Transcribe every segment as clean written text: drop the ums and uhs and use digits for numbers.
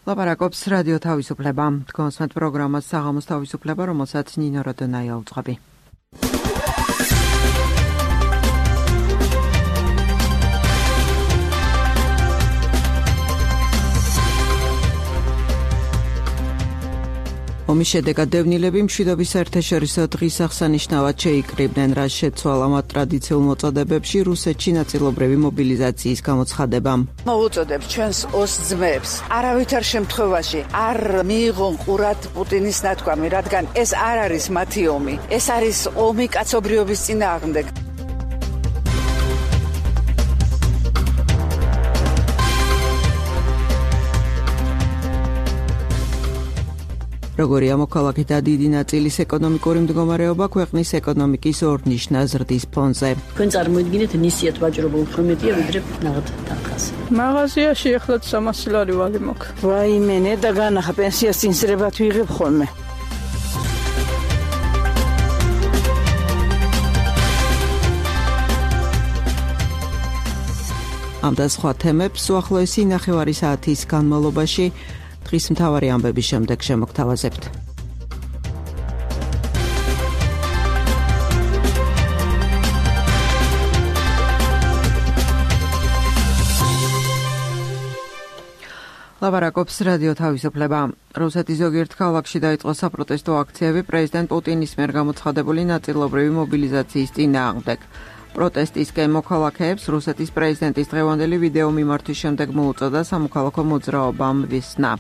ლაპარაკობს რადიო თავისუფლება. თქვენს პროგრამას საღამოს თავისუფლება, რომელსაც ნინო როდონაია უძღვები. ომის შედეგად დევნილები მშვიდობის საერთაშორისო დღის აღსანიშნავად შეიკრიბნენ, რაც შეცვალა მათ ტრადიციულ მოწოდებებში რუსეთში ნაწილობრივი მობილიზაციის გამოცხადებამ. მოვუწოდებთ ჩვენს ოს ძმებს, არავითარ შემთხვევაში არ მიიღონ ყურად პუტინის ნათქვამი, რადგან ეს არ არის მათი ომი, ეს არის ომი კაცობრიობის წინააღმდეგ. როგორია მოქალაქეთა დიდი ნაწილის ეკონომიკური მდგომარეობა ქვეყნის ეკონომიკის ორნიშნა ზრდის ფონზე. თქვენ წარმოიდგინეთ ნისიათ ვაჭრობა უფრო მეტია ვიდრე ნაღად თანხაზე. მაღაზიაში ეხლა 300 ლარი ვალი მაქვს. ვაიმე, ნედა განახა პენსიას წინსრებად ვიღებ ხოლმე. ამ და სხვა თემებს უახლოესი 9 საათის განმავლობაში დღის მთავარი ამბების შემდეგ შემოგთავაზებთ. ლაპარაკობს რადიო თავისუფლება. რუსეთის ზოგიერთ ქალაქში დაიწყო საპროტესტო აქციები პრეზიდენტ პუტინის მიერ გამოცხადებული ნაწილობრივი მობილიზაციის წინააღმდეგ. პროტესტისკენ მოქალაქეებს რუსეთის პრეზიდენტის დღევანდელი ვიდეო მიმართვის შემდეგ მოუწოდა სამოქალაქო მოძრაობამ ვისნა.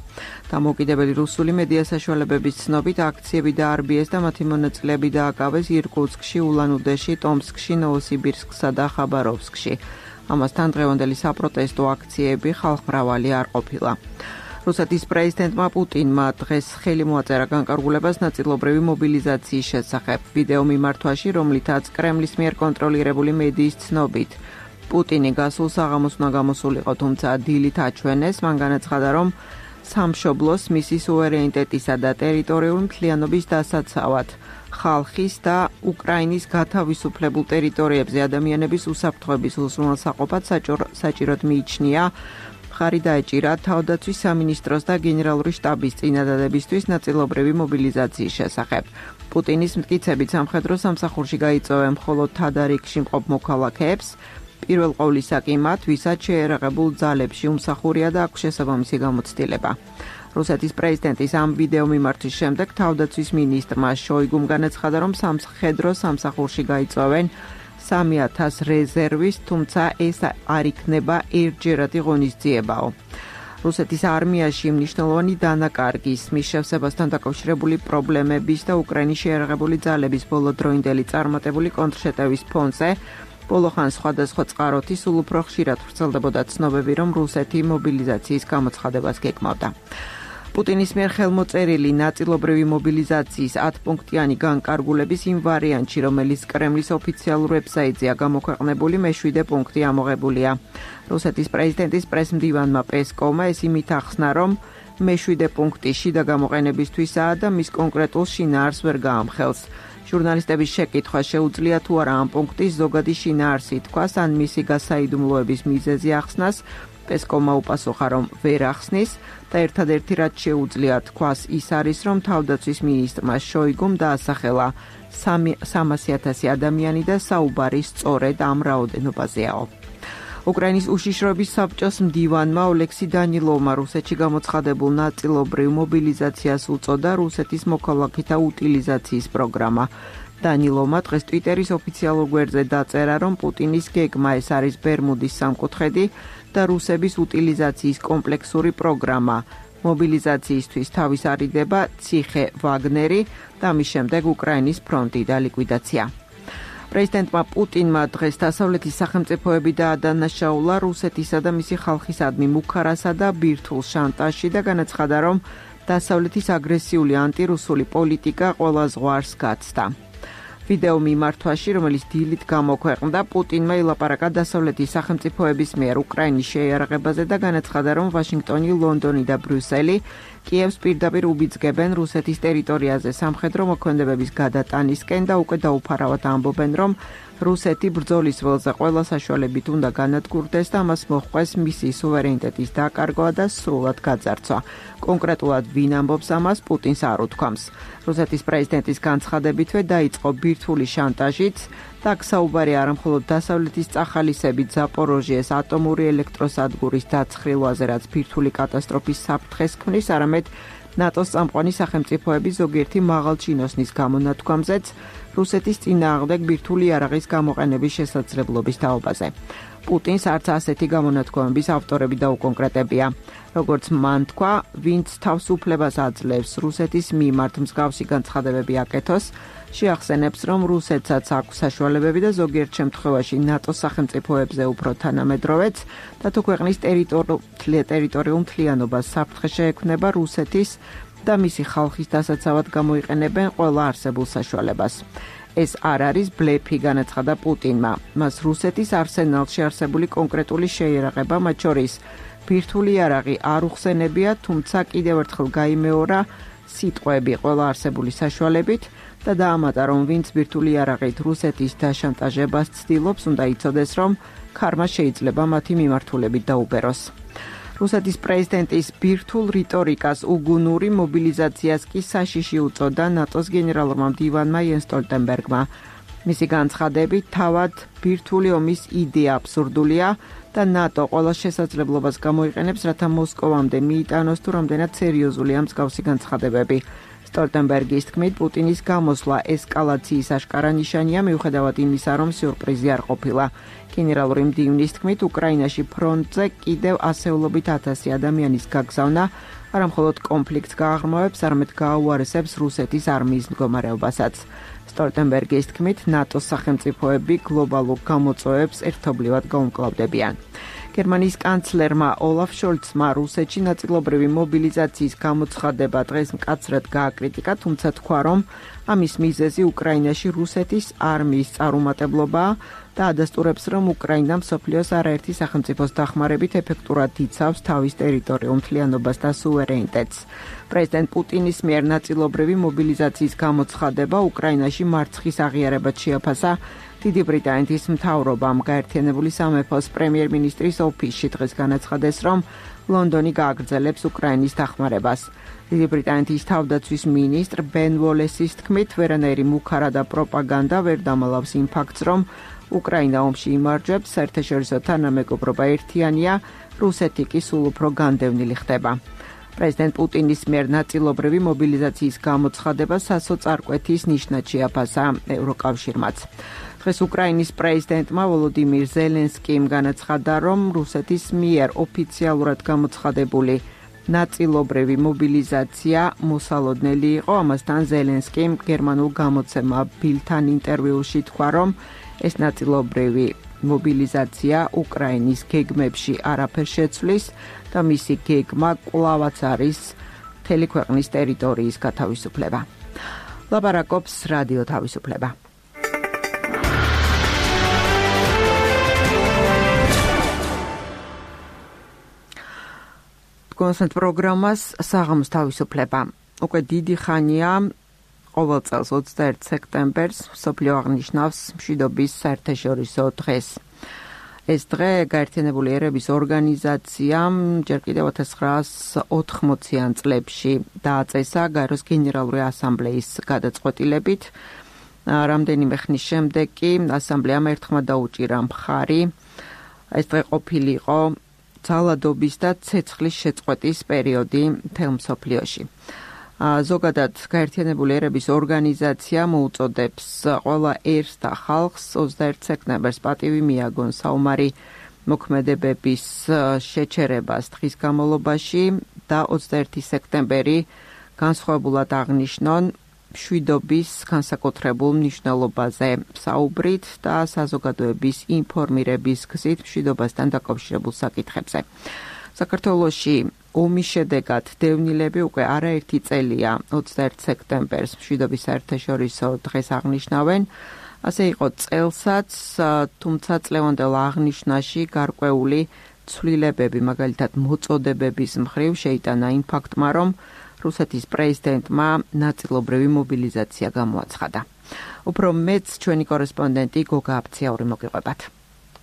დამოუკიდებელი რუსული მედია საშუალებების ცნობით აქციები დაარბიეს და მათი მონაწილეები დააკავეს ირკუტსკში, ულან-უდეში, ტომსკში, ნოვოსიბირსკსა და ხაბაროვსკში. ამასთან დღევანდელი საპროტესტო აქციები ხალხმრავალი არ ყოფილა. რუსეთის პრეზიდენტმა პუტინმა დღეს ხელი მოაწერა განკარგულებას ნაწილობრივი მობილიზაციის შესახებ. ვიდეო მიმართვაში, რომლითაც კრემლის მიერ კონტროლირებული მედიის ცნობით პუტინი გასულ საღამოს უნდა გამოსულიყო, თუმცა დილით აჩვენეს, მან განაცხადა, რომ სამშობლოს მისი სუვერენიტეტისა და ტერიტორიული მთლიანობის დასაცავად ხალხის და უკრაინის გათავისუფლებულ ტერიტორიებზე ადამიანების უსაფრთხოების უზრუნველსაყოფად საჭიროდ მიიჩნია ხარი დაეჭირა თავდაცვის სამინისტროს და გენერალური შტაბის წინადადებისთვის ნაწილობრივი მობილიზაციის შესახებ. პუტინის მტკიცებით სამხედრო სამსახურში გაიწვევენ მხოლოდ თადარიგში მყოფ მოქალაქეებს, პირველ ყოვლისა კი მათ, ვისაც შეერაღებულ ძალებში უმსახურია და აქვს შესაბამისი გამოცდილება. რუსეთის პრეზიდენტის ამ ვიდეო მიმართვის შემდეგ თავდაცვის მინისტრმა შოიგუმ განაცხადა, რომ სამხედრო სამსახურში გაიწვევენ 3000 რეზერვის, თუმცა ეს არ იქნება ერთჯერადი ღონისძიებაო. რუსეთის არმიაში მნიშვნელოვანი დანაკარგის, მის შევსებასთან დაკავშირებული პრობლემების და უკრაინის შეერაღებული ძალების ბოლოდროინდელი წარმატებული კონტრშეტევის ფონზე ბოლო ხანს სხვადასხვა წყაროთი სულ უფრო ხშირად ვრცელდებოდა ცნობები, რომ რუსეთი მობილიზაციის გამოცხადებას გეკმავდა. პუტინის მიერ ხელმოწერილი ნაწილობრივი მობილიზაციის 10 პუნქტიანი განკარგულების იმ ვარიანტში, რომელიც კრემლის ოფიციალურ ვებსაიტზეა გამოქვეყნებული, მე-7 პუნქტი ამოღებულია. რუსეთის პრეზიდენტის პრესმდივანმა პესკოვმა ეს იმით ახსნა, რომ მე-7 პუნქტი შიდა გამოყენებისთვისაა და მის კონკრეტულ შინაარს ვერ გაამხელს. ჟურნალისტების შეკითხვა შეუძლია თუ არა ამ პუნქტის ზოგადი შინაარსი თქვას ან მისი გასაიდუმლოების მიზეზი ახსნას. პესკოვმა უპასუხა, რომ ვერ ახსნის და ერთადერთი რაც შეუძლია თქვას ის არის, რომ თავდაცვის მინისტრმა შოიგუმ დაასახელა 300,000 ადამიანი და საუბარი სწორედ ამ რაოდენობაზეაო. უკრაინის უშიშროების საბჭოს მდივანმა ოლექსი დანილოვმა რუსეთში გამოცხადებულ ნაწილობრივ მობილიზაციას უწოდა რუსეთის მოქალაქეთა უტილიზაციის პროგრამა. დანილოვმა დღეს ტვიტერის ოფიციალურ გვერდზე დაწერა, რომ პუტინის გეგმა ეს არის ბერმუდის სამკუთხედი და რუსების უტილიზაციის კომპლექსური პროგრამა. მობილიზაციისთვის თავის არიდება ციხე ვაგნერი და მის შემდეგ უკრაინის ფრონტი და ლიკვიდაცია. პრეზიდენტმა პუტინმა დღეს დასავლეთის სახელმწიფოები დაადანაშაულა რუსეთისა და მისი ხალხისადმი მუქარასა და ბირთვულ შანტაჟში და განაცხადა, რომ დასავლეთის აგრესიული ანტირუსული პოლიტიკა ყველა ზღვარს გაცდა. ვიდეო მიმართვაში, რომელიც დილით გამოქვეყნდა, პუტინმა ილაპარაკა დასავლეთის სახელმწიფოების მიერ უკრაინის შეიარაღებაზე და განაცხადა, რომ ვაშინგტონი, ლონდონი და ბრიუსელი კიევს პირდაპირ უბიძგებენ რუსეთის ტერიტორიაზე სამხედრო მოქმედებების გადატანისკენ და უკვე დაუფარავად ამბობენ, რომ რუსეთი ბრძოლის ველზე ყველა საშუალებით უნდა განადგურდეს და ამას მოჰყვეს მისი სუვერენიტეტის დაკარგვა და სრულად გაძარცვა. კონკრეტულად ვინ ამბობს ამას, პუტინს არ უთქვამს. რუსეთის პრეზიდენტის განცხადებითვე დაიწყო ბირთვული შანტაჟიც და საუბარი არა მხოლოდ დასავლეთის წახალისებით ზაპოროჟიეს ატომური ელექტროსადგურის დაცხრილვაზე, რაც ბირთვული კატასტროფის საფრთხეს ქმნის, არამედ ნატოს წამყვანი სახელმწიფოების ზოგიერთი მაღალჩინოსნის გამონათქვამზეც რუსეთის წინააღმდეგ ბირთვული იარაღის გამოყენების შესაძლებლობის თაობაზე. პუტინს არც ასეთი გამონათქვამების ავტორები დაუკონკრეტებია. როგორც მან თქვა, ვინც თავს უფლებას აძლევს რუსეთის მიმართ მსგავსი განცხადებები აკეთოს, შეახსენებს, რომ რუსეთსაც აქვს საშუალებები და ზოგიერთ შემთხვევაში ნატოს სახელმწიფოებზე უფრო თანამედროვეც და თუ ქვეყნის ტერიტორიულ მთლიანობას საფრთხე შეექმნება რუსეთის და მისი ხალხის დასაცავად გამოიყენებენ ყველა არსებულ საშუალებას. ეს არ არის ბლეფი, განაცხადა პუტინმა. მას რუსეთის არსენალში არსებული კონკრეტული შეიარაღება, მათ შორის ბირთვული იარაღი არ უხსენებია, თუმცა კიდევ ერთხელ გაიმეორა სიტყვები ყველა არსებული საშუალებით და დაამატა, რომ ვინც ბირთვული იარაღით რუსეთის დაშანტაჟებას ცდილობს, უნდა იცოდეს, რომ ქარმა შეიძლება მათი მიმართულებით დაუბეროს. რუსეთის პრეზიდენტის ბირთვულ რიტორიკას უგუნური მობილიზაციას კი საშიში უწოდა ნატოს გენერალურმა მდივანმა იენს სტოლტენბერგმა. მისი განცხადებით, თავად ბირთვული ომის იდეა აბსურდულია და ნატო ყველა შესაძლებლობას გამოიყენებს, რათა მოსკოვამდე მიიტანოს თუ რამდენად სერიოზულია მსგავსი განცხადებები. სტოლტენბერგის თქმით, პუტინის გამოსვლა ესკალაციის აშკარა ნიშანია, მიუხედავად იმისა, რომ სიურპრიზი არ ყოფილა. გენერალური მდივნის თქმით, უკრაინაში ფრონტზე კიდევ ასეულობით 1000 ადამიანის გაგზავნა არა მხოლოდ კონფლიქტს გააღრმავებს, არამედ გააუარესებს რუსეთის არმიის მდგომარეობასაც. სტოლტენბერგის თქმით, ნატოს სახელმწიფოები გლობალურ გამოწვევებს ერთობლივად გაუმკლავდებიან. გერმანიის კანცლერმა ოლაფ შოლცმა რუსეთში ნაწილობრივი მობილიზაციის გამოცხადება დღეს მკაცრად გააკრიტიკა, თუმცა თქვა, რომ ამის მიზეზი უკრაინაში რუსეთის არმიის წარუმატებლობაა და ადასტურებს, რომ უკრაინა მსოფლიოს არაერთი სახელმწიფოს დახმარებით ეფექტურად იცავს თავის ტერიტორიულ მთლიანობას და სუვერენიტეტს. პრეზიდენტ პუტინის მიერ ნაწილობრივი მობილიზაციის გამოცხადება უკრაინაში მარცხის აღიარებად შეაფასა დიდი ბრიტანეთის მთავრობამ. გაერთიანებული სამეფოს პრემიერ-მინისტრის ოფისში დღეს განაცხადეს, რომ ლონდონი გააგრძელებს უკრაინის დახმარებას. დიდი ბრიტანეთის თავდაცვის მინისტრ ბენ უოლესის თქმით, ვერანაირი მუქარა და პროპაგანდა ვერ დამალავს იმ ფაქტს, რომ უკრაინა ომში იმარჯვებს, საერთაშორისო თანამეგობრობა ერთიანია, რუსეთი კი სულ უფრო განდევნილი ხდება. პრეზიდენტ პუტინის მიერ ნაწილობრივი მობილიზაციის გამოცხადება სასოწარკვეთის ნიშნად შეაფასა ევროკავშირმაც. დღეს უკრაინის პრეზიდენტმა ვოლოდიმირ ზელენსკიმ განაცხადა, რომ რუსეთის მიერ ოფიციალურად გამოცხადებული ნაწილობრივი მობილიზაცია მოსალოდნელი იყო. ამასთან ზელენსკიმ გერმანულ გამოცემა ბილთან ინტერვიუში თქვა, რომ ეს ნაწილობრივი მობილიზაცია უკრაინის გეგმებში არაფერს შეცვლის და მისი გეგმა კვლავაც არის მთელი ქვეყნის ტერიტორიის გათავისუფლება. ლაპარაკობს რადიო თავისუფლება. კონსერტ პროგრამას საღამოს თავისუფლება. უკვე დიდი ხანია ყოველ წელს 21 სექტემბერს მსოფლიო აღნიშნავს მშვიდობის საერთაშორისო დღეს. ეს დღე გაერთიანებული ერების ორგანიზაციამ ჯერ კიდევ 1980-იან წლებში დააწესა გაეროს გენერალური ასამბლეის გადაწყვეტილებით. რამდენიმე ხნის შემდეგ კი ასამბლეამ ერთხმად დაუჭირა მხარი. ეს დღე ყოფილიყო ძალადობის და ცეცხლის შეწყვეტის პერიოდი მთელ მსოფლიოში. ზოგადად გაერთიანებული ერების ორგანიზაცია მოუწოდებს ყველა ერს და ხალხს 21 სექტემბერს პატივი მიაგონ საომარი მოქმედებების შეჩერებას დღის განმავლობაში და 21 სექტემბერი განსხვავებულად აღნიშნონ მშვიდობის განსაკუთრებულ მნიშვნელობაზე საუბრით და საზოგადოების ინფორმირების გზით მშვიდობასთან დაკავშირებულ საკითხებზე. საქართველოში ომის შედეგად დევნილები უკვე არაერთი წელია 21 სექტემბერს მშვიდობის საერთაშორისო დღეს აღნიშნავენ. ასე იყო წელსაც, თუმცა წლევანდელ აღნიშვნაში გარკვეული ცვლილებები, მაგალითად მოწოდებების მხრივ შეიტანა იმ ფაქტმა, რომ რუსეთის პრეზიდენტმა ნაწილობრივი მობილიზაცია გამოაცხადა. უფრო მეც ჩვენი კორესპონდენტი გოგა აფციური მოგიყვებათ.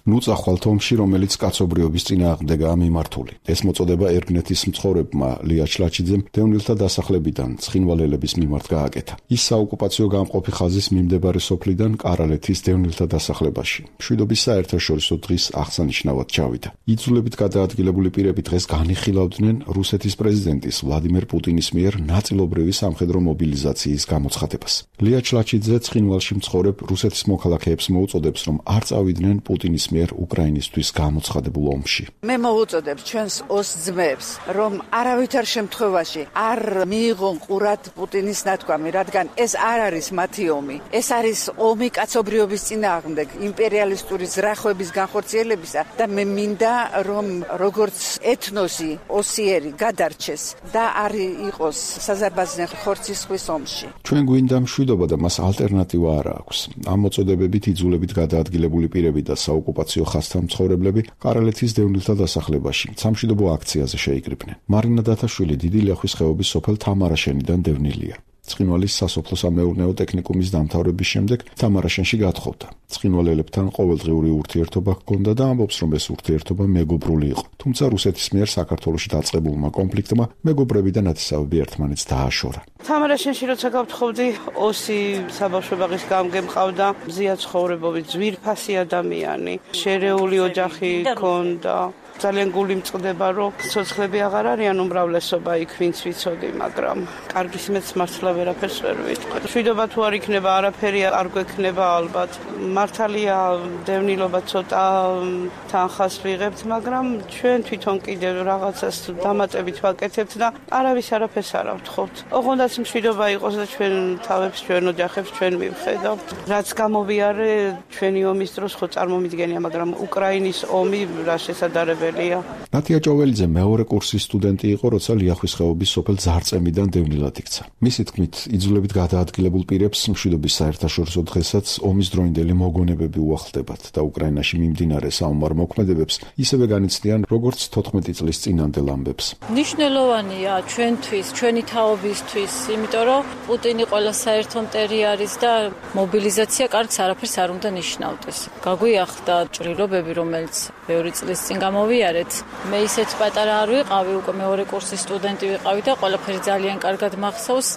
ნუწახვალთ ომში, რომელიც კაცობრიობის წინააღმდეგაა მიმართული. ეს მოწოდება ერგნეთის მცხოვრებმა ლია ჩლაჩიძემ დევნილთა დასახლებიდან ცხინვალელების მიმართ გააკეთა. ის საოკუპაციო გამყოფი ხაზის მიმდებარე სოფლიდან კარალეთის დევნილთა დასახლებაში მშვიდობის საერთაშორისო დღის აღსანიშნავად ჩავიდა. იძულებით გადაადგილებული პირები დღეს განიხილავდნენ რუსეთის პრეზიდენტის ვლადიმერ პუტინის მიერ ნაწილობრივი სამხედრო მობილიზაციის გამოცხადებას. ლია ჩლაჩიძე ცხინვალში მცხოვრებ რუსეთის მოქალაქეებს მოუწოდებს, რომ არ წავიდნენ პუტინის მიერ უკრაინისთვის გამოცხადებულ ომში. მე მოვუწოდებ ჩვენს ოს ძმებს, რომ არავითარ შემთხვევაში არ მიიღონ ყურად პუტინის ნათქვამი, რადგან ეს არ არის მათი ომი. ეს არის ომი კაცობრიობის წინააღმდეგ, იმპერიალისტური ზრახვების განხორციელებისა და მე მინდა, რომ როგორც ეთნოსი ოსიერი გადარჩეს და არ იყოს საზარბაზნე ხორცისხვის ომში. ჩვენ გვინდა მშვიდობა და მას ალტერნატივა არ აქვს. ამ მოწოდებებით იძულებით გადაადგილებული პირები და საოკუპაციო ხაზთან მცხოვრებლები კარალეთის დევნილთა დასახლებაში სამშვიდობო აქციაზე შეიკრიბნენ. მარინა დათაშვილი დიდი ლიახვის ხეობის სოფელ თამარაშენიდან დევნილია. ცხინვალის სასოფლო-სამეურნეო ტექნიკუმის დამთავრების შემდეგ თამარაშენში გათხოვდა. ცხინვალელებთან ყოველდღიური ურთიერთობა ჰქონდა და ამბობს, რომ ეს ურთიერთობა მეგობრული იყო. თუმცა რუსეთის მიერ საქართველოში დაწყებულმა კონფლიქტმა მეგობრები და ნათესავები ერთმანეთს დააშორა. თამარაშენში როცა გავთხოვდი, ოსი საბავშვო ბაღის გამგე მყავდა, მზია ცხოვრებობით, ძვირფასი ადამიანი, შერეული ოჯახი ჰქონდა. ძალიან გული მწყდება, რომ ცოცხლები აღარ არიან უმრავლესობა იქ, ვინც ვიცოდი, მაგრამ კარგის მეც მართლა ვერაფერს ვერ ვიტყვი. მშვიდობა თუ არ იქნება, არაფერი არ გვექნება ალბათ. მართალია დევნილობა ცოტა თანხას ვიღებთ, მაგრამ ჩვენ თვითონ კიდევ რაღაცას დამატებით ვაკეთებთ და არავის არაფერს არ ავთხოვთ. ოღონდაც მშვიდობა იყოს და ჩვენ თავებს, ჩვენ ოჯახებს ჩვენ მივხედავთ. რაც გამოვიარე ჩვენი ომის დროს ხო წარმომიდგენია, მაგრამ უკრაინის ომი რა შესაძლებელია. ნათია ჭოველიძე მეორე კურსის სტუდენტი იყო, როცა ლიახვის ხეობის სოფელ ძარწემიდან დევნილად იქცა. მისი თქმით, იძულებით გადაადგილებულ პირებს მშვიდობის საერთაშორისო დღესაც ომის დროინდელი მოგონებები უახლდებათ და უკრაინაში მიმდინარე საომარ მოქმედებებს ისევე განიცდიან, როგორც 14 წლის წინანდელ ამბებს. მნიშვნელოვანია ჩვენთვის, ჩვენი თაობისთვის, იმიტომ რომ პუტინი ყველა საერთო მტერი არის და მობილიზაცია კარგს არაფერს არ უნდა ნიშნავდეს. გაგვიახდა ჭრილობები, რომელიც ბევრი წლის წინ გამოვიარეთ. მე ისეთ პატარა არ ვიყავი, უკვე მეორე კურსის სტუდენტი ვიყავი და ყველაფერი ძალიან კარგად მახსოვს.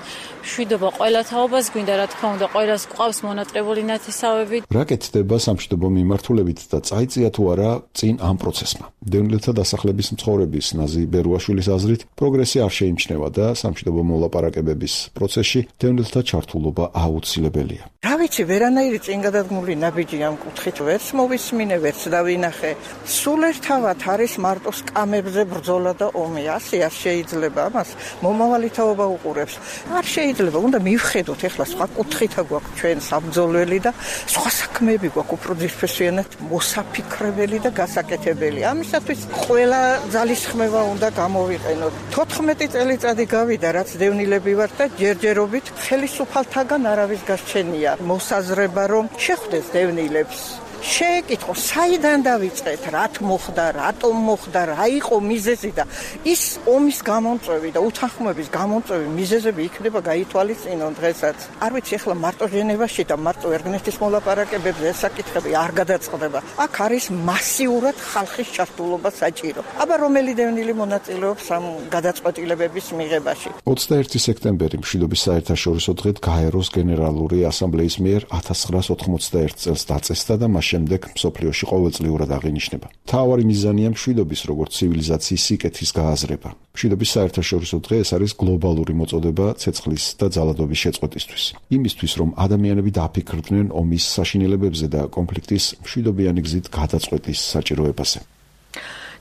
მშვიდობა ყველა თაობას გვინდა, რა თქმა უნდა, ყველას გვყავს მონატრებული ნათესავები. რა კეთდება სამშვიდობო მიმართულებით და წაიწია თუ არა წინ ამ პროცესმა? დევნილთა დასახლების მცხოვრების ნაზი ბერუაშვილის აზრით, პროგრესი არ შეიმჩნევა და სამშვიდობო მოლაპარაკებების პროცესში დევნილთა ჩართულობა აუცილებელია. რა ვიცი, ვერანაირი წინგადადგმული ნაბიჯი ამ კუთხით ვერც მოვისმინე, ვერც დავინახე. სულ ერთავად არის მარტო სკამებზე ბრძოლა და ომი. ასე არ შეიძლება ამას მომავალი თაობა უყურებს. არ შეიძლება, უნდა მივხედოთ ახლა სხვა კუთხითა გვაქვს ჩვენ საბრძოლველი და სხვა საქმეები გვაქვს უფრო ძირფესვიანად მოსაფიქრებელი და გასაკეთებელი. ამისათვის ყველა ძალისხმევა უნდა გამოვიყენოთ. 14 წელიწადი გავიდა, რაც დევნილები ვართ და ჯერჯერობით ხელისუფალთაგან არავის გარჩენია მოსაზრება, რომ შეხვდეს დევნილებს. შეეკითხო, საიდან დავიწყეთ, რათ მოხდა, რატომ მოხდა, რა იყო მიზეზი და ის ომის გამომწვევი და უთანხმოების გამომწვევი მიზეზები იქნება გაითვალისწინონ დღესაც. არ ვიცი, ახლა მარტო ჟენევაში და მარტო ერგნეთის მოლაპარაკებებზე ეს საკითხები არ გადაწყდება. აქ არის მასიურად ხალხის ჩართულობა საჭირო. აბა რომელი დევნილი მონაწილეობს ამ გადაწყვეტილებების მიღებაში? 21 სექტემბერი მშვიდობის საერთაშორისო დღედ გაეროს გენერალური ასამბლეის მიერ 1991 წელს დაწესდა და მას შემდეგ მსოფლიოში ყოველწლიურად აღინიშნება. მთავარი მიზანია მშვიდობის როგორც ცივილიზაციის სიკეთის გააზრება. მშვიდობის საერთაშორისო დღე ეს არის გლობალური მოწოდება ცეცხლის და ძალადობის შეწყვეტისთვის. იმისთვის, რომ ადამიანები დაფიქრდნენ ომის საშინელებებზე და კონფლიქტის მშვიდობიანი გზით გადაწყვეტის საჭიროებაზე.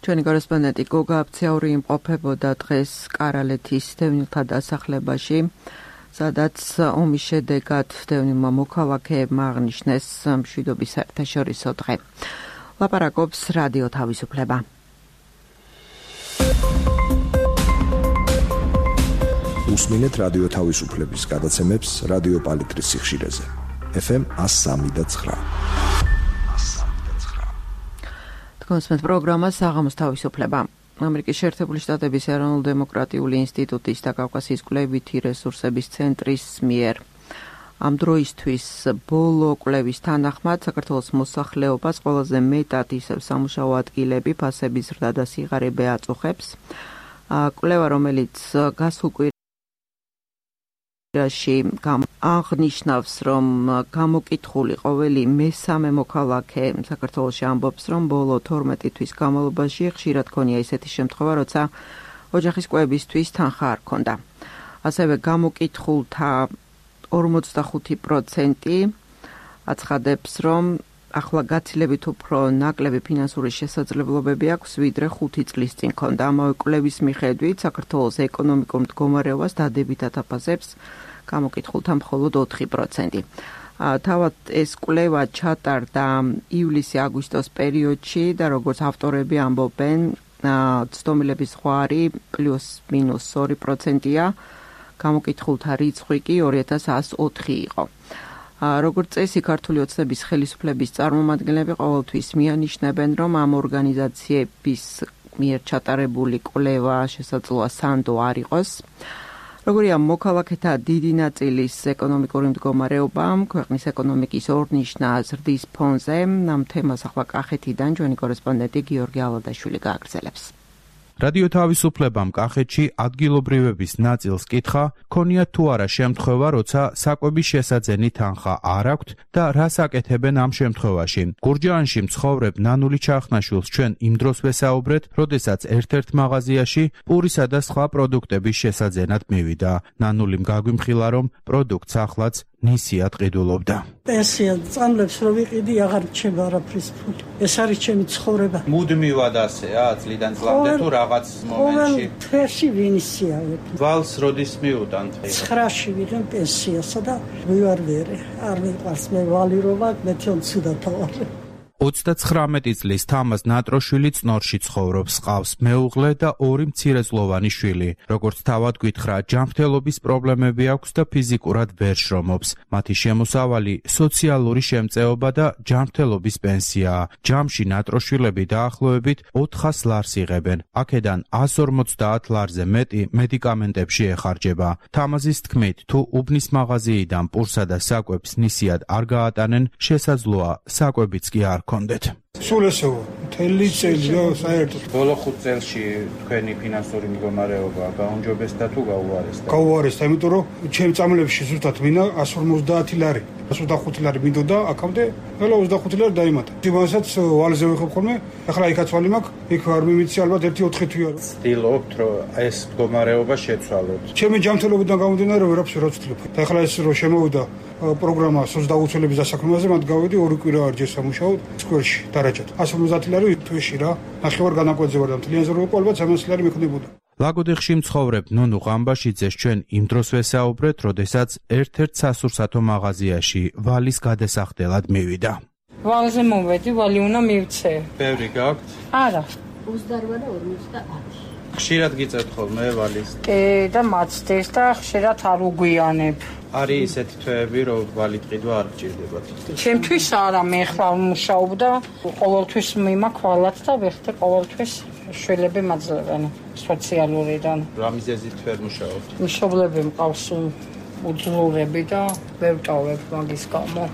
ჩვენი კორესპონდენტი გოგა აფციური იმყოფებოდა დღეს კარალეთის დევნილთა დასახლებაში, სადაც ომის შედეგად დევნილმა მოქალაქეებმა აღნიშნეს მშვიდობის საერთაშორისო დღე. ლაპარაკობს რადიო თავისუფლება. უსმინეთ რადიო თავისუფლების გადაცემებს რადიო პალიტრის სიხშირეზე. FM 103.9. Თქვენს პროგრამა საღამოს თავისუფლება. ამერიკის შეერთებული შტატების ეროვნულ-დემოკრატიული ინსტიტუტის და კავკასიის კვლევითი რესურსების ცენტრის მიერ ამ დროისთვის ბოლო კვლევის თანახმად საქართველოს მოსახლეობას ყველაზე მეტად ისევ სამუშაო ადგილები, ფასების ზრდა და სიღარიბე აწუხებს. კვლევა, რომელიც გასულ კვირაში აღნიშნავს, რომ გამოკითხული ყოველი მესამე მოქალაქე საქართველოში ამბობს, რომ ბოლო 12 თვის განმავლობაში ხშირად ქონია ისეთი შემთხვევა, როცა ოჯახის კვებისთვის თანხა არ ქონდა. ასევე გამოკითხულთა 45% აცხადებს, რომ ახლა გაცილებით უფრო ნაკლები ფინანსური შესაძლებლობები აქვს, ვიდრე 5 წლის წინ ქონდა. ამავე კვლევის მიხედვით, საქართველოს ეკონომიკურ მდგომარეობას დადებითად აფასებს გამოკითხულთა მხოლოდ 4%. თავად ეს კვლევა ჩატარდა ივლისი-აგვისტოს პერიოდში და როგორც ავტორები ამბობენ, ცდომილების ზღვარი +-2%-ია, გამოკითხულთა რიცხვი კი 2104 იყო. როგორც წესი, ქართული ოცნების ხელისუფლების წარმომადგენლები ყოველთვის მიანიშნებენ, რომ ამ ორგანიზაციების მიერ ჩატარებული კვლევა შესაძლოა სანდო არ იყოს. როგორია მოქალაქეთა დიდი ნაწილის ეკონომიკური მდგომარეობა, ქვეყნის ეკონომიკის ორნიშნა ზრდის ფონზე, ამ თემას ახლა კახეთიდან ჩვენი კორესპონდენტი გიორგი ალადაშვილი გააგრძელებს. რადიო თავისუფლებამ კახეთში ადგილობრივების ნაწილს კითხა, ქონიათ თუ არა შემთხვევა, როცა საკვების შესაძენი თანხა არ აქვთ და რას აკეთებენ ამ შემთხვევაში. გურჯაანში მცხოვრებ ნანული ჩახნაშვილს ჩვენ იმ დროს ვესაუბრეთ, როდესაც ერთ-ერთ მაღაზიაში პურისა და სხვა პროდუქტების შესაძენად მივიდა. ნანულიმ გაგვიმხილა, რომ პროდუქტს ახლაც ნისიად ყიდულობდა. პენსია წამლებს რო ვიყიდი, აღარ მჩება არაფრის ფული. ეს არის ჩემი ცხოვრება. მუდმივად ასეა, წლიდან წლამდე თუ რაღაც მომენტში. თვეში ვინისია. ვალს როდის მიუდანთ? 9-ში ვიღებ პენსიასა და ვივარვერე. არ მიყვარს მე ვალი რო ვარ, მე თვითონ ცუდად ვარ. 39 წლის თამაზ ნატროშვილი წნორში ცხოვრობს, ყავს მეუღლე და 2 მცირეწლოვანი შვილი. როგორც თავად გითხრა, ჯანმრთელობის პრობლემები აქვს და ფიზიკურად ვერ შრომობს. მათი შემოსავალი სოციალური შემწეობა და ჯანმრთელობის პენსიაა. ჯამში ნატროშვილები დაახლოებით 400 ლარს იღებენ. აქედან 150 ლარზე მეტი მედიკამენტებში ეხარჯება. თამაზის თქმით, თუ უბნის მაღაზიიდან პურსა და საკვებს ნისიად არ გაატანენ, შესაძლოა საკვებიც კი არ კონდეთ. სულ ესეო, მთელი წელი და საერთოდ. ბოლო 5 წელში თქვენი ფინანსური მდგომარეობა გაუმჯობესდა თუ გაუარესდა? გაუარესდა, იმიტომ რომ ჩემ წამლებში ზუსტად მინდა 150 ლარი. 125 ლარი მინდოდა აქამდე, ყველა 25 ლარი დაიმატა. იმასაც ვალზე ვიხებ ხოლმე, ახლა იქაც ვალი მაქვს, იქ არ მიმიცი ალბათ 1-4 თვია. ვცდილობთ, რომ ეს მდგომარეობა შეცვალოთ. ჩემი ჯანმრთელობიდან გამომდინარე ვერაფერს ვერ ვცდილობ. და ახლა ეს რომ შემოვიდა პროგრამა სოციალურების დასაქმებაზე, მათ გავედი 2 კვირა არ ჯერ სამუშაოდ სკოლაში დარაჯად. 150 ლარი თვეში რა. ნახევარ განაკვეთზე ვარ და მთლიან ზრდობა ალბათ 300 ლარი მექნებოდა. ლაგოდეხში მცხოვრებ ნონუ ყამბაშიძეს ჩვენ იმ დროს ვესაუბრეთ, როდესაც ერთ-ერთ სასურსათო მაღაზიაში ვალის გადასახდელად მივიდა. ვალზე მოვედი, ვალი უნდა მივცე. ბევრი გაქვთ? არა. 28 და 50. ხშირად გიწევთ ხოლმე ვალის? კი, და მაცდეს და ხშირად არ უგვიანებ. არის ისეთი თვეები, რომ ვალით ყიდვა არ გჭირდებათ? ჩემთვის არა, მე ხლა ვმუშაობ და ყოველთვის მიმაქვალათ და ვეხტე ყოველთვის შვილები მაძლევენ სოციალურიდან. რა მიზეზით ვერ მუშაობთ? მშობლები მყავს უძლურები და ვერ ვტოვებ მაგის გამო.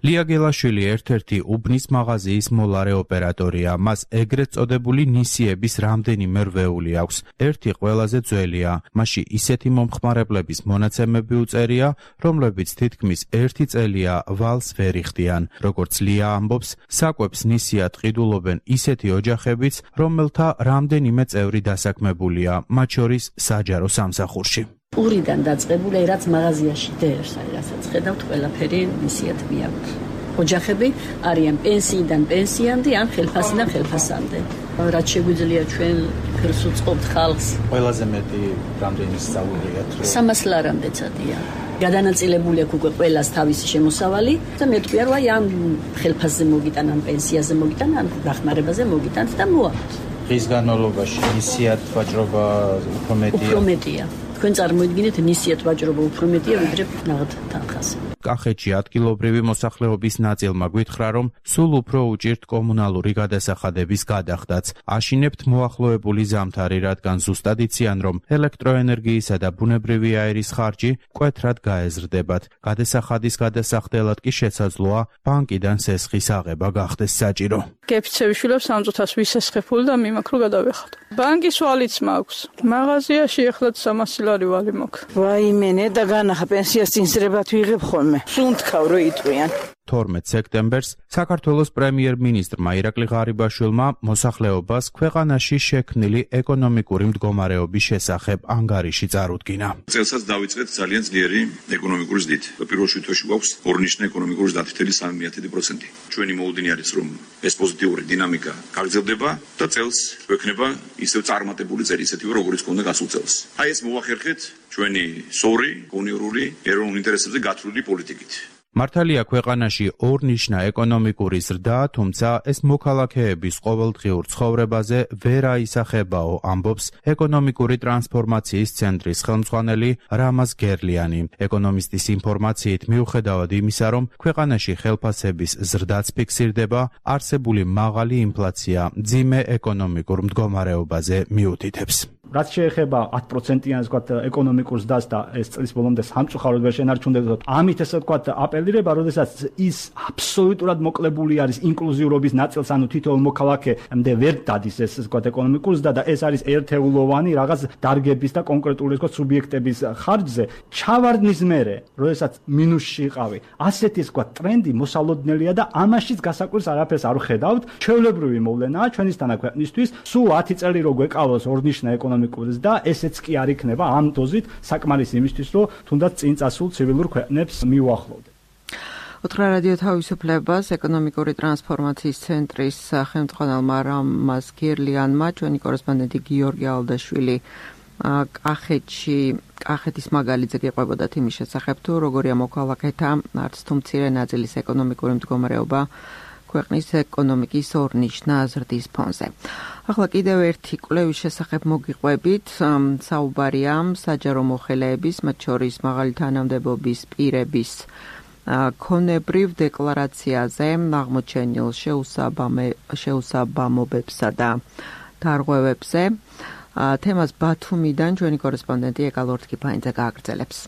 ლია გელაშვილი ერთ-ერთი უბნის მაღაზიის მოლარე ოპერატორია. მას ეგრეთ წოდებული ნისიების რამდენიმე რვეული აქვს. ერთი ყველაზე ძველია. მასში ისეთი მომხმარებლების მონაცემები უწერია, რომლებიც თითქმის 1 წელია ვალს ვერ იხდიან. როგორც ლია ამბობს, საკვებს ნისიად ყიდულობენ ისეთი ოჯახებიც, რომელთა რამდენიმე წევრი დასაქმებულია, მათ შორის საჯარო სამსახურში. პურიდან დაწყებული, რაც მაღაზიაში დერს, რასაც ხედავთ, ყველაფერი ნისიად მიაქვს. ოჯახები არიან პენსიიდან პენსიამდე ან ხელფასიდან ხელფასამდე. რაც შეგვიძლია ჩვენ ხელს უწყობთ ხალხს. ყველაზე მეტი რამდენი სწავლობთ? 300 ლარამდე წადია. გადანაწილებული აქვს უკვე ყველას თავისი შემოსავალი და მე თქვია რომ აი ამ ხელფასზე მოგიტან, ამ პენსიაზე მოგიტან, ამ დახმარებაზე მოგიტანთ და მოაქვთ. დღის განმავლობაში ნისიად ვაჭრობა უფრო მეტია. თქვენ წარმოიდგინეთ ნისიად ვაჭრობა უფრო მეტია ვიდრე ნაღდ თანხაზე. კახეთში ადგილობრივი მოსახლეობის ნაწილმა გვითხრა, რომ სულ უფრო უჭირთ კომუნალური გადასახადების გადახდაც. აშინებთ მოახლოებული ზამთარი, რადგან ზუსტად იციან, რომ ელექტროენერგიისა და ბუნებრივი აირის ხარჯი მკვეთრად გაეზრდებათ. გადასახადის გადასახდელად კი შესაძლოა ბანკიდან სესხის აღება გახდეს საჭირო. გეფიცევიშვილებს სამწუთას ვისესხებული და მიმაქრო გადავეხოთ. ბანკის ვალიც მაქვს. მაღაზიაში ეხლა 300 ლარი ვალი მაქვს. ვაიმე, და განახა პენსიას წინსრებად ვიღებ ხოლმე. სუნთქავ რო იტყვიან. 12 სექტემბერს საქართველოს პრემიერ-მინისტრმა ირაკლი ღარიბაშვილმა მოსახლეობას ქვეყანაში შექმნილი ეკონომიკური მდგომარეობის შესახებ ანგარიში წარუდგინა. წელსაც დავიწყეთ ძალიან ძლიერი ეკონომიკური ზრდით. პირველ შუათში გვაქვს ორნიშნე ეკონომიკური ზრდა 1.3%. ჩვენი მოუდინი არის, რომ ეს პოზიტიური დინამიკა გაგრძელდება და წელს გვექნება ისევ წარმატებული წელი, ისეთივე როგორც ჰქონდა გასულ წელს. აი ეს მოვახერხეთ ჩვენი სორი, უნიორული, ეროვნულ ინტერესებზე გათვლილი პოლიტიკით. მართალია ქვეყანაში ორნიშნა ეკონომიკური ზრდა, თუმცა ეს მოქალაქეების ყოველდღიურ ცხოვრებაზე ვერ აისახებაო, ამბობს ეკონომიკური ტრანსფორმაციის ცენტრის ხელმძღვანელი რამაზ გერლიანი. ეკონომისტის ინფორმაციით მიუხედავად იმისა, რომ ქვეყანაში ხელფასების ზრდაც ფიქსირდება, არსებული მაღალი ინფლაცია მძიმე ეკონომიკურ მდგომარეობაზე მიუთითებს. რაც შეეხება 10%-იან ეკონომიკურ ზრდას და ეს წლის ბოლომდე სამწუხაროდ ვერ შენარჩუნდება. ამით ესე ვთქვათ აპელირება, როდესაც ის აბსოლუტურად მოკლებული არის ინკლუზიურობის ნაწილს, ანუ თითოეულ მოქალაქემდე ვერ დადის ეს ვთქვათ ეკონომიკურ ზრდა და ეს არის ერთეულოვანი რაღაც დარგების და კონკრეტული ვთქვათ სუბიექტების ხარჯზე. ჩავარდნის მერე, როდესაც მინუსში იყავი, ასეთი ვთქვათ ტრენდი მოსალოდნელია და ამაშიც გასაკვირს არაფერს არ ვხედავთ. ჩვეულებრივი მოვლენაა ჩვენისთანა ქვეყნისთვის, სულ 10 წელი რო გვეკავოს ორნიშნა და ესეც კი არ იქნება ამ დოზით საკმარის იმისთვის, რომ თუნდაც წინ წასულ ცივილურ ქვეყნებს მიუახლოვდეთ. უთხრა რადიო თავისუფლებას ეკონომიკური ტრანსფორმაციის ცენტრის ხელმძღვანელმა რამაზ გერლიანმა ჩვენი კორესპონდენტი გიორგი ალდაშვილი კახეთის მაგალითზე გიყვებოდათ იმის შესახებ, თუ როგორია მოქალაქეთა არც თუ მცირე ნაწილის ეკონომიკური მდგომარეობა ქვეყნის ეკონომიკის ორნიშნა ზრდის ფონზე. ახლა კიდევ ერთი კვლევის შესახებ მოგიყვებით, საუბარია საჯარო მოხელეების, მათ შორის მაღალი თანამდებობის პირების ქონებრივ დეკლარაციაზე აღმოჩენილ შეუსაბამობებსა და დარღვევებზე. თემას ბათუმიდან ჩვენი კორესპონდენტი ეკალორთკიფაინძე გააგრძელებს.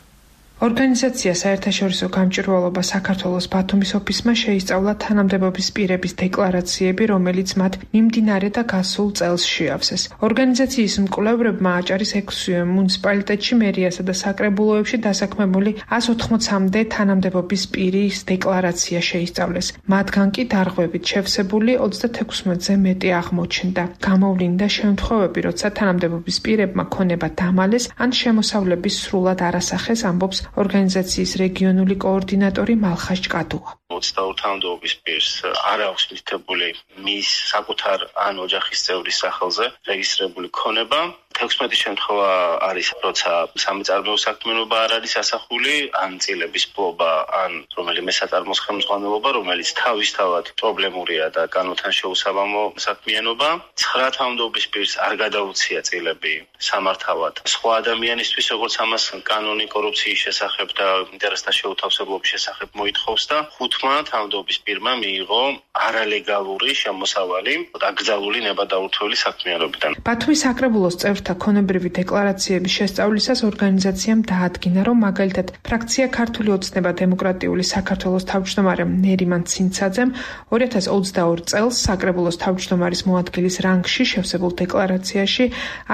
ორგანიზაცია საერთაშორისო გამჭვირვალობა საქართველოს ბათუმის ოფისმა შეისწავლა თანამდებობის პირების დეკლარაციები, რომელიც მათ მიმდინარე და გასულ წელს შეავსეს. ორგანიზაციის მკვლევრებმა აჭარის 6 მუნიციპალიტეტში, მერიასა და საკრებულოებში დასაქმებული 180-მდე თანამდებობის პირის დეკლარაცია შეისწავლეს. მათგან კი დარღვევით შევსებული 36-ზე მეტი აღმოჩნდა. გამოვლინდა შემთხვევები, როცა თანამდებობის პირებმა ქონება დამალეს ან შემოსავლების სრულად არასახეს, ამბობს ორგანიზაციის რეგიონული კოორდინატორი მალხაზ ჭკადუა. 22 თანამდებობის პირს არ აქვს მითითებული მის საკუთარ ან ოჯახის წევრის სახელზე რეგისტრირებული ქონება. 16 შემთხვევა არის, როცა სამწარმოო საქმიანობა არ არის ასახული, ან წილების ფლობა, ან რომელიმე საწარმოს ხელმძღვანელობა, რომელიც თავისთავად პრობლემურია და განუთან შეუსაბამო საქმიანობა. 9 თანამდებობის პირს არ გადაუცია წილები სამართავად სხვა ადამიანისთვის, როგორც ამას კანონი კორუფციის შესახებ და ინტერესთა შეუთავსებლობის შესახებ მოითხოვს და 5 თანამდებობის პირმა მიიღო არალეგალური შემოსავალი აკრძალული ნებადაურთველი საქმიანობიდან. ბათუმის საკრებულოს წევრთა ქონებრივი დეკლარაციების შესწავლისას ორგანიზაციამ დაადგინა, რომ მაგალითად ფრაქცია ქართული ოცნება დემოკრატიული საქართველოს თავმჯდომარემ ნერიმან ცინცაძემ 2022 წელს საკრებულოს თავმჯდომარის მოადგილის რანგში შევსებულ დეკლარაციაში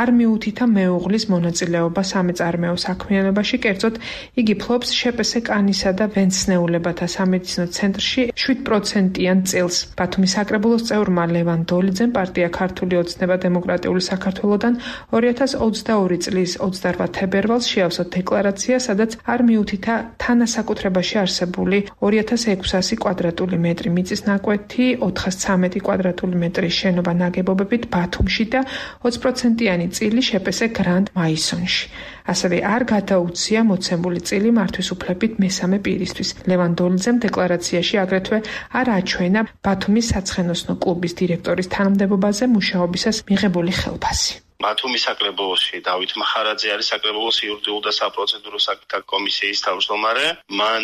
არ მიუთითა მეუღლის მონაწილეობა სამეწარმეო საქმიანობაში, კერძოდ იგი ფლობს შპს კანისა და ვენცნეულებათა სამედიცინო ცენტრში 7%-იან წილს. ბათუმის საკრებულოს წევრმა ლევან დოლიძემ პარტია ქართული ოცნება დემოკრატიული საქართველოდან 2022 წლის 28 თებერვალს შეავსო დეკლარაცია, სადაც არ მიუთითა თანასაკუთრებაში არსებული 2600 კვადრატული მეტრი მიწის ნაკვეთი, 413 კვადრატული მეტრის შენობა ნაგებობებით ბათუმში და 20%-იანი წილი შპს გრანდ მაისონში. ასევე არ გადაუცია მოცემული წილი მართვის უფლებით მესამე პირისთვის. ლევან დოლიძემ დეკლარაციაში აგრეთვე არ აჩვენა ბათუმის საცხენოსნო კლუბის დირექტორის თანამდებობაზე მუშაობისას მიღებული ხელფასი. ბათუმის საკრებულოში დავით მახარაძე არის საკრებულოს იურიდიულ და საპროცედურო საკითხთა კომისიის თავმჯდომარე. მან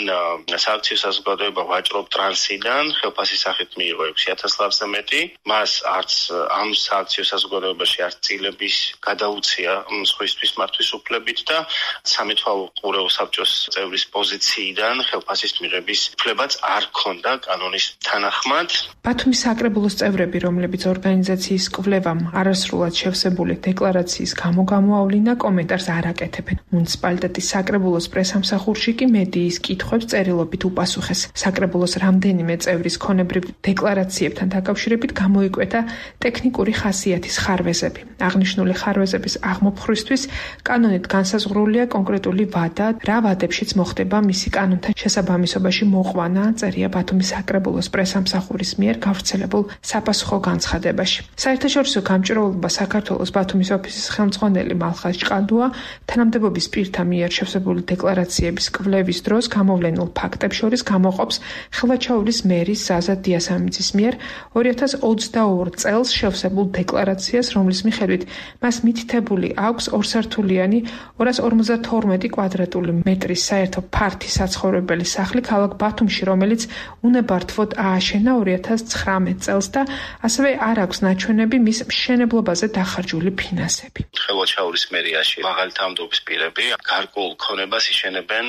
სააქციო საზოგადოება ვაჭრობ ტრანსიდან ხელფასის სახით მიიღო 6000 ლარზე მეტი. მას არც ამ სააქციო საზოგადოებაში არც წილების გადაუცია სხვისთვის მართვის უფლებით და სამეთვალო ყურეულ საბჭოს წევრის პოზიციიდან ხელფასის მიღების უფლებაც არ ჰქონდა კანონის თანახმად. ბათუმის საკრებულოს წევრები, რომლებიც ორგანიზაციის კვლევამ არასრულად შევსებული დეკლარაციის გამო გამოავლინა, კომენტარს არ აკეთებენ. მუნიციპალიტეტის საკრებულოს პრესამსახურში კი მედიის კითხვებს წერილობით უპასუხეს. საკრებულოს რამდენიმე წევრის ქონებრივ დეკლარაციებთან დაკავშირებით გამოიკვეთა ტექნიკური ხასიათის ხარვეზები. აღნიშნული ხარვეზების აღმოფხვრისთვის კანონით განსაზღვრულია კონკრეტული ვადა, რა ვადებშიც მოხდება მისი კანონთან შესაბამისობაში მოყვანა, წერია ბათუმის საკრებულოს პრესამსახურის მიერ გავრცელებულ საპასუხო განცხადებაში. საერთაშორისო გამჭირვალობა საქართველოს ბათუმის ოფისის ხელმძღვანელი მალხაზ ჭყადუა თანამდებობის პირთა მიერ შევსებული დეკლარაციების კვლევის დროს გამოვლენილ ფაქტებს შორის გამოყოფს ხელვაჩაურის მერის ზაზა დიასამიძის მიერ 2022 წელს შევსებულ დეკლარაციას, რომლის მიხედვით მას მითითებული აქვს ორსართულიანი 252 კვადრატული მეტრის საერთო ფართი საცხოვრებელი სახლი ქალაქ ბათუმში, რომელიც უნებართვოდ ააშენა 2019 წელს და ასევე არ აქვს ნაჩვენები მის მშენებლობაზე დახარჯული ფინანსები. ხელვაჩაურის მერიაში მაღალი თანამდებობის პირები გარკვეულ ქონებას იშენებენ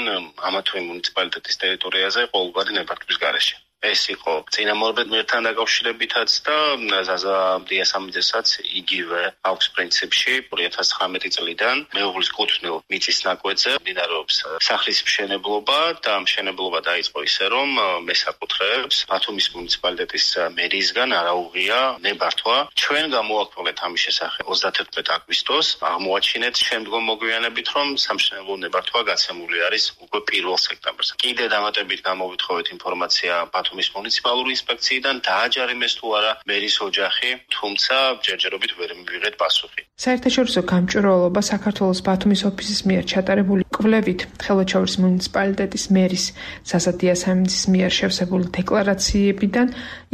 ამა თუ იმ მუნიციპალიტეტის ტერიტორიაზე ყოველგვარი ნებართვის გარეშე. ეს იყო წინამორბედ მერთან დაკავშირებითაც და ზაზა დიასამიძესაც იგივე აქვს პრინციპში 2019 წლიდან მეუღლის კუთვნილ მიწის ნაკვეთზე მიმდინარეობს სახლის მშენებლობა და მშენებლობა დაიწყო ისე რომ მესაკუთრეებს ბათუმის მუნიციპალიტეტის მერიისგან არაუღია ნებართვა. ჩვენ გამოვაქვეყნეთ ამის შესახებ 31 აგვისტოს, აღმოაჩინეთ შემდგომ მოგვიანებით რომ სამშენებლო ნებართვა გაცემული არის უკვე 1 სექტემბერს. კიდე დამატებით გამოვითხოვეთ ინფორმაცია ბათუმის მუნიციპალური ინსპექციიდან დააჯარიმეს თუ არა მერის ოჯახი, თუმცა ჯერჯერობით ვერ მივიღეთ პასუხი. საერთაშორისო გამჭვირვალობა საქართველოს ბათუმის ოფისის მიერ ჩატარებული კვლევით ხელვაჩაურის მუნიციპალიტეტის მერის ზაზა დიასამიძის მიერ შევსებული დეკლარაციებიდან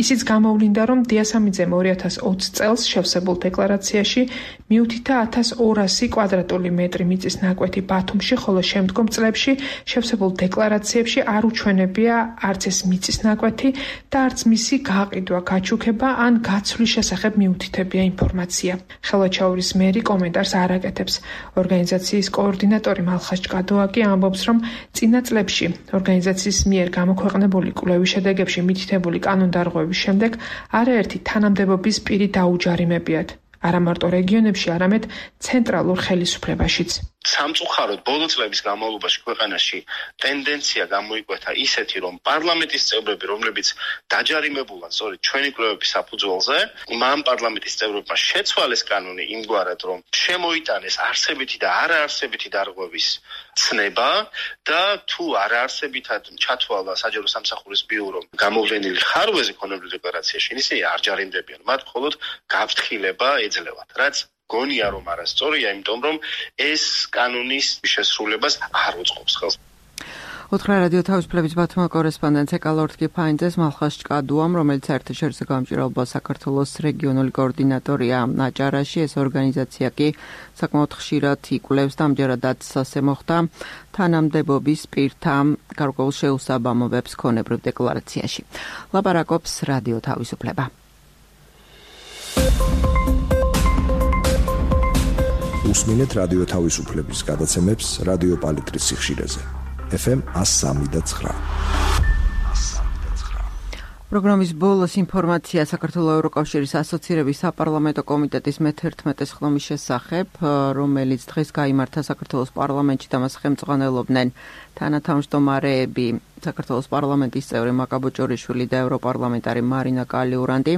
ისიც გამოვლინდა, რომ დიასამიძემ 2020 წელს შევსებულ დეკლარაციაში მიუთითა 1200 კვადრატული მეტრი მიწის ნაკვეთი ბათუმში, ხოლო შემდგომ წლებში შევსებულ დეკლარაციებში არ უჩვენებია არც ეს მიწის ნაკვეთი და არც მისი გაყიდვა, გაჩუქება ან გაცვლის შესახებ მიუთითებია ინფორმაცია. ხელვაჩაურის მერი კომენტარს არ აკეთებს. ორგანიზაციის კოორდინატორი მალხაზ ჭყადოა კი ამბობს, რომ წინა წლებში ორგანიზაციის მიერ გამოქვეყნებული კვლევის შედეგებში მითითებული კანონდარღვევების შემდეგ არაერთი თანამდებობის პირი დაუჯარიმებიათ. არა მარტო რეგიონებში, არამედ ცენტრალურ ხელისუფლებაშიც. სამწუხაროდ ბოლო წლების განმავლობაში ქვეყანაში ტენდენცია გამოიკვეთა ისეთი, რომ პარლამენტის წევრები, რომლებიც დაჯარიმებულან სწორედ ჩვენი კვლევების საფუძველზე, მან პარლამენტის წევრებმა შეცვალეს კანონი იმგვარად, რომ შემოიტანეს არსებითი და არაარსებითი დარღვევის ცნება და თუ არაარსებითად ჩათვალა საჯარო სამსახურის ბიურომ გამოვლენილი ხარვეზი ქონებრივ დეკლარაციაში, ისინი არ ჯარიმდებიან, მათ მხოლოდ გაფრთხილება ეძლევათ, რაც გონია რომ არასწორია, იმიტომ რომ ეს კანონის შესრულებას არ უწყობს ხელს. უთხრა რადიო თავისუფლების ბათუმის კორესპონდენტ ეკალორთ კიფაინძეს მალხაზ ჭყადუამ, რომელიც საერთაშორისო გამჭვირვალობა საქართველოს რეგიონული კოორდინატორია აჭარაში, ეს ორგანიზაცია კი საკმაოდ ხშირად იკვლევს და ამჯერადაც ასე მოხდა თანამდებობის პირთა გარკვეულ შეუსაბამობებს ქონებრივ დეკლარაციაში. ლაპარაკობს რადიო თავისუფლება. უსმინეთ რადიო თავისუფლების გადაცემებს რადიო პალიტრის სიხშირეზე. FM 103.9. პროგრამის ბოლოს ინფორმაცია საქართველოს ევროკავშირის ასოცირების საპარლამენტო კომიტეტის მე-11 ხდომის შესახებ, რომელიც დღეს გაიმართა საქართველოს პარლამენტში და მას ხელმძღვანელობდნენ თანათავმჯდომარეები საქართველოს პარლამენტის წევრი მაკა ბოჭორიშვილი და ევროპარლამენტარი მარინა კალიურანდი.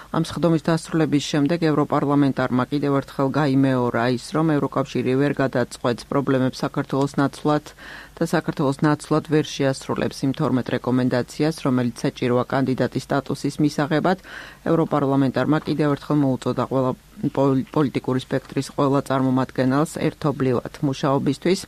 ამ სხდომის დასრულების შემდეგ ევროპარლამენტარმა კიდევ ერთხელ გაიმეორა ის, რომ ევროკავშირი ვერ გადაწყვეტს პრობლემებს საქართველოს ნაცვლად და საქართველოს ნაცვლად ვერ შეასრულებს იმ 12 რეკომენდაციას, რომელიც საჭიროა კანდიდატის სტატუსის მისაღებად. ევროპარლამენტარმა კიდევ ერთხელ მოუწოდა ყველა პოლიტიკური სპექტრის ყველა წარმომადგენელს ერთობლივად მუშაობისთვის.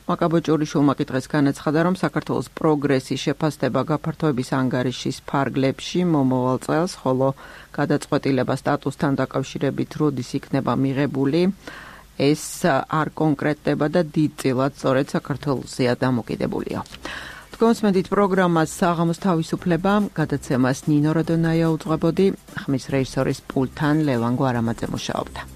მაკაბოჭურიშვილმა კითხეს განაცხადა, რომ საქართველოს პროგრესის შეფასდება გაფართოების ანგარიშის ფარგლებში მომავალ წელს, ხოლო გადაწყვეტილება სტატუსთან დაკავშირებით როდის იქნება მიღებული, ეს არ კონკრეტდება და დიდწილად სწორედ საქართველოსია დამოკიდებულია. თქვენსმენდით პროგრამას საღამოს თავისუფლება, გადაცემას ნინო როდონაია უძღვებოდი, ხმის რეჟისორის პულტთან ლევან გვარამაძე მუშაობდა.